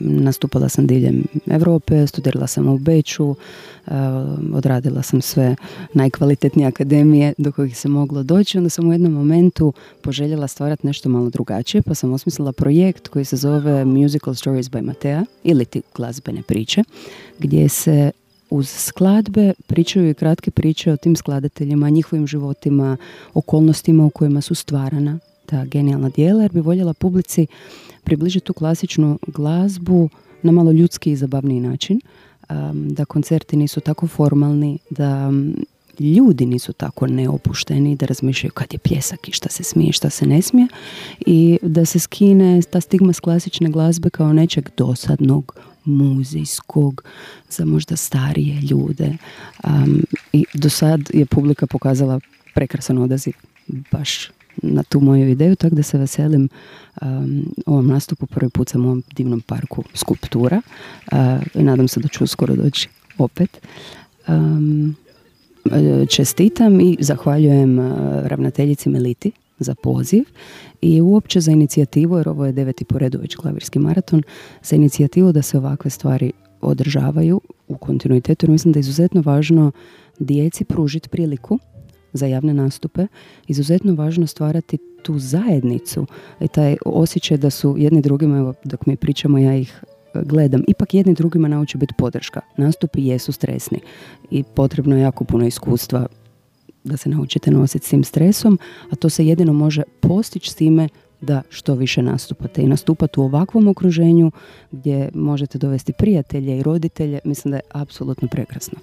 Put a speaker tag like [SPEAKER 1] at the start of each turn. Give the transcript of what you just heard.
[SPEAKER 1] nastupala sam diljem Europe, studirala sam u Beču, odradila sam sve najkvalitetnije akademije do kojih se moglo doći. Onda sam u jednom momentu poželjela stvarati nešto malo drugačije, pa sam osmislila projekt koji se zove Musical Stories by Matea, ili ti glazbene priče, gdje se uz skladbe pričaju i kratke priče o tim skladateljima, njihovim životima, okolnostima u kojima su stvarana ta genijalna djela, jer bi voljela publici približiti tu klasičnu glazbu na malo ljudski i zabavniji način, da koncerti nisu tako formalni, da ljudi nisu tako neopušteni, da razmišljaju kad je pljesak i šta se smije, šta se ne smije, i da se skine ta stigma s klasične glazbe kao nečeg dosadnog, muzijskog, za možda starije ljude. I do sad je publika pokazala prekrasan odaziv baš na tu moju ideju, tako da se veselim ovom nastupu. Prvi put sam u ovom divnom parku Skulptura i nadam se da ću uskoro doći opet. Čestitam i zahvaljujem ravnateljici Meliti za poziv i uopće za inicijativu, jer ovo je 9. po redu već klavirski maraton, za inicijativu da se ovakve stvari održavaju u kontinuitetu, jer mislim da je izuzetno važno djeci pružiti priliku za javne nastupe, izuzetno važno stvarati tu zajednicu i taj osjećaj da su jedni drugima, evo dok mi pričamo ja ih gledam, ipak jedni drugima nauči biti podrška. Nastupi jesu stresni i potrebno je jako puno iskustva da se naučite nositi s tim stresom, a to se jedino može postići s time da što više nastupate i nastupati u ovakvom okruženju gdje možete dovesti prijatelje i roditelje, mislim da je apsolutno prekrasno.